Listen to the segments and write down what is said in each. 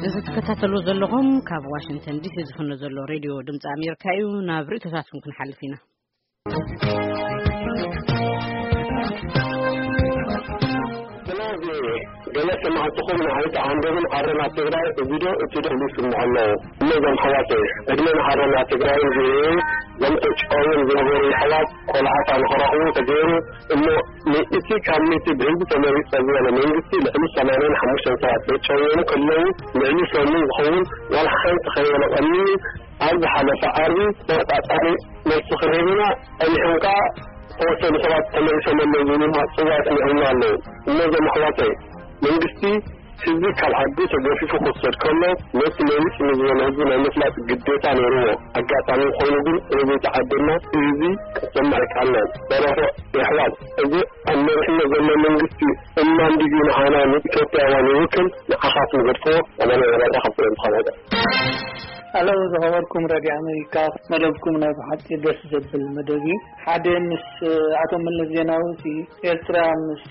እዚ ትከታተሉ ዘለኹም ካብ ዋሽንግተን ዲሲ ዝፍኖ ዘሎ ሬድዮ ድምፂ ኣሜሪካ እዩ። ናብ ርእይቶታትኩም ክንሓልፍ ኢና። ስለዚ ገለ ሰማዕትኹም ንዓይ ተዓንደብን ኣረና ትግራይ እዚ ዶ እቲ ዶ ይስምዑ ኣለዉ። እነዞም ኣሕዋተይ ዕድመ ንኣረና ትግራይ እዚ ዞም ተጫውዮም ዝነበሩ ኣሕዋት ቆልዓታ ንኸረኽቡ ተገይሩ እሞ ንእቲ ካብ ሚእቲ ብህዝቢ ተመሪፀ ዝበለ መንግስቲ ልዕሊ ሰማንያን ሓሙሽተን ሰባት ተጨውዮም ከለዉ ልዕሊ ሰሙን ዝኸውን ዋላ ሓንቲ ከይበለ ቀኒዩ ኣብ ዝሓለፈ ዓርቢ ተወጣጣሪ መልሲ ክህብና ጸኒሖም ከኣ ተወሰኑ ሰባት ተመሊሶም ኣለዉ ዝብሉ ጽዋዕ ኣስሚዖምና ኣለዉ። እሞ እዞም ኣሕዋተይ መንግስቲ ህዝቢ ካብ ዓዱ ተገፊፉ ክውሰድ ከሎ ነቲ መሊስ ንዝበሎ ህዝቢ ናይ ምፍላጥ ግዴታ ነይርዎ። ኣጋጣሚ ኮይኑ ግን ስለዘይተዓደና ህዝቢ ክትሰምዕ ኣይከኣልናን። ደረፎ የሕዋት እዚ ኣብ መሪሕነት ዘሎ መንግስቲ እማን ድዩ ንዓና ንኢትዮጵያውያን ይውክል? ንዓኻት ንገድፍዎ ኣባና የራዳ ካብ ፍሬም ተኻናዳ። ኣለው ዝኸበርኩም ረድዮ ኣሜሪካ፣ መደብኩም ናይ ብሓቂ ደስ ዘብል መደብ እዩ። ሓደ ምስ ኣቶ መለስ ዜናዊ እቲ ኤርትራ ምስ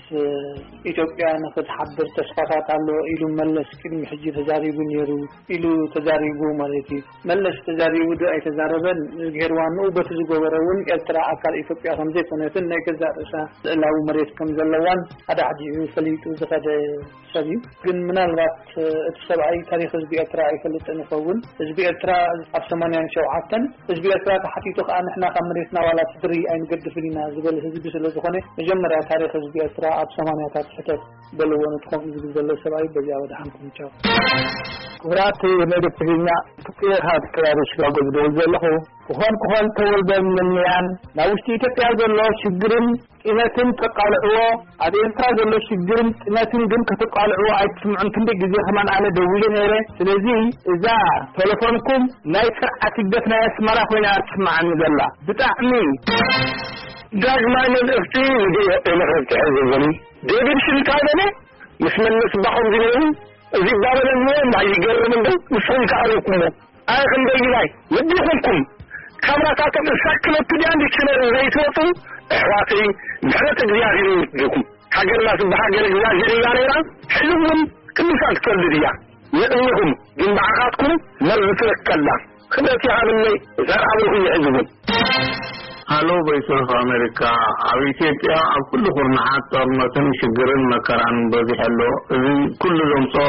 ኢትዮጵያ ንክትሓብር ተስፋታት ኣለዎ ኢሉ መለስ ቅድሚ ሕጂ ተዛሪቡ ነይሩ ኢሉ ተዛሪቡ ማለት እዩ። መለስ ተዛሪቡ ዶ ኣይተዛረበን ገይርዋ ንኡ በቲ ዝገበረ እውን ኤርትራ ኣካል ኢትዮጵያ ከም ዘይኮነትን ናይ ገዛእ ርእሳ ልዕላዊ መሬት ከም ዘለዋን ሓደ ሕጂ ፈሊጡ ዝኸደ ሰብ እዩ። ግን ምናልባት እቲ ሰብኣይ ታሪክ ህዝቢ ኤርትራ ኣይፈልጥን ይኸውን። ህዝቢ ኤርትራ ኣብ ሰማንያን ሸውዓተን ህዝቢ ኤርትራ ተሓቲቱ ከዓ ንሕና ካብ መሬትና ዋላ ትድሪ ኣይንገድፍን ኢና ዝበል ህዝቢ ስለ ዝኾነ መጀመርያ ታሪክ ህዝቢ ኤርትራ ኣብ ሰማንያታት ሕተት በልዎ ንትኾም ዝብል ዘሎ ሰብኣይ በዚኣ ወድሓንኩም ቻው። ክቡራት መደብ ትግርኛ፣ ክጥየኻ ክራሪ ሽካጎ ዝደውል ዘለኹ። ክኾን ክኾን ተወልደ ምንያን ናብ ውሽጢ ኢትዮጵያ ዘሎ ሽግርን ጢነትን ተቃልዕዎ፣ ኣብ ኤርትራ ዘሎ ሽግርን ጢነትን ግን ከተቃልዕዎ ኣይትስምዑን። ክንደይ ግዜ ከማን ኣነ ደዊለ ነይረ። ስለዚ እዛ ቴሌፎንኩም ናይ ስርዓት ህግደፍ ናይ ኣስመራ ኮይና ትስምዓኒ ዘላ። ብጣዕሚ ዳግማይ መልእኽቲ ንግዮ ኤመኸት ትሕዝብኒ። ዴቪድ ሽን እንታይ በለ? ምስ መለስ ባኹም ዝነብሩ እዚ ባበለኒ እምባ ይገርም እንዶ ንስኹም ከኣረኩሞ። ኣይ ክንደይ ይላይ ልቢ ይኹንኩም። ካብራታቶም እሳክለቱ ድያ ዲክሽነሪ ዘይትወጡ ኣሕዋተይ፣ ምሕረት እግዚኣብሔር ይወርድኩም። ሃገርና ትበሃል ሃገር እግዚኣብሔር እያ ነይራ፣ ሕዚ እውን ቅዱሳን ክትወልድ እያ። ንእኒኹም ግን ብዓኻትኩም መርዚ ትረከላ። ክብረት ይሃብለይ፣ ዘርኣ ብሩኽ ይሕዝብን። ሃሎ ቮይስ ኦፍ ኣሜሪካ፣ ኣብ ኢትዮጵያ ኣብ ኩሉ ኩርናዓት ጦርነትን ሽግርን መከራን በዚሑ ኣሎ። እዚ ኩሉ ዘምፅኦ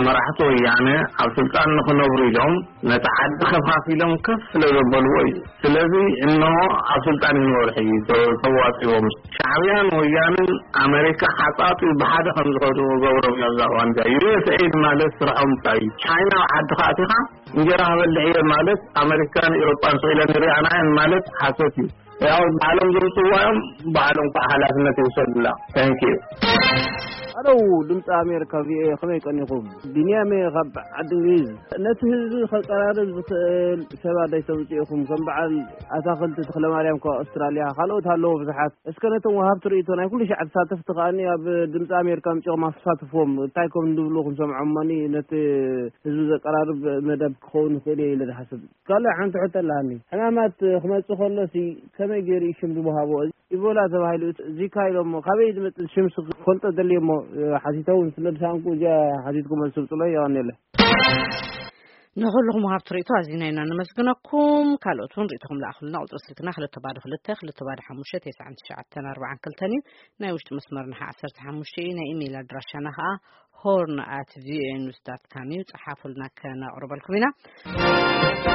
መራሕቲ ወያነ ኣብ ስልጣን ንክነብሩ ኢሎም ነቲ ዓዲ ከፋፊሎም ከፍ ስለ ዘበልዎ እዩ። ስለዚ እነሆ ኣብ ስልጣን ይንበሩ ሕጂ ተ-፣ ተዋፂዎም። ሻዕብያን ወያንን ኣሜሪካ ሓፃጢ ብሓደ ከም ዝኸዱ ገብሮም እዮም። እዛ እዋን እዚኣ ዩ ኤስ ኤድ ማለት ስርሖም እንታይ እዩ? ቻይና ኣብ ዓድኻ ኣቲኻ እንጀራ ክበልዕ እየ ማለት ኣሜሪካን ኤውሮጳን ስኢለን ይርኣና እየን ማለት ሓሶት እዩ። ያው ባዕሎም ዘምፅዋ እዮም፣ ባዕሎም ከዓ ሓላፍነት ይውሰዱላ። Thank you። ኣለው ድምፂ ኣሜሪካ ቪኦኤ፣ ከመይ ቀኒኹም? ቢንያም እየ ካብ ዓዲ እንግሊዝ። ነቲ ህዝቢ ከቀራርብ ዝኽእል ሰባት ኣይተምፅኡ ኢኹም። ከም በዓል ኣታኽልቲ ተኽለማርያም ካብ ኣውስትራልያ፣ ካልኦት ኣለዉ ብዙሓት። እስከ ነቶም ወሃብቲ ርእይቶ ናይ ኩሉ ሻዕ ተሳተፍቲ ከኣኒ ኣብ ድምፂ ኣሜሪካ ኣምፂኦም ኣሳትፍዎም። እንታይ ከም ዝብሉ ክንሰምዖም እሞኒ ነቲ ህዝቢ ዘቀራርብ መደብ ክኸውን ይኽእል እየ ኢለ ዝሓስብ። ካልእ ሓንቲ ሕቶ ኣለሃኒ። ሕማማት ክመጽእ ከሎሲ ከመይ ገይሩ እዩ ሽም ዝወሃቦ? ኢቦላ ተባሂሉ ዚካ ኢሎሞ። ካበይ ዝመጽእ ሽምስ ክፈልጦ ደልየ እሞ፣ ሓቲተ እውን ስለ ዝሰኣንኩ እዚኣ ሓቲትኩ መልሲ ስጡለይ። የቐንየለይ። ንኹልኹም ወሃብቲ ርእይቶ ኣዚና ኢና ነመስግነኩም። ካልኦት እውን ርእይቶኹም ለኣኹልና። ቁጽሪ ስልክና ክልተ ባዶ ክልተ፣ ክልተ ባዶ ሓሙሽተ፣ ተስዓን ትሽዓተን ኣርባዓን ክልተን እዩ። ናይ ውሽጢ መስመርና ኸዓ ዓሰርተ ሓሙሽተ እዩ። ናይ ኢሜይል ኣድራሻና ኸዓ ሆርን ኣት ቪኦኤ ኒውስ ዳት ካም እዩ። ጸሓፉልና፣ ከነቕርበልኩም ኢና።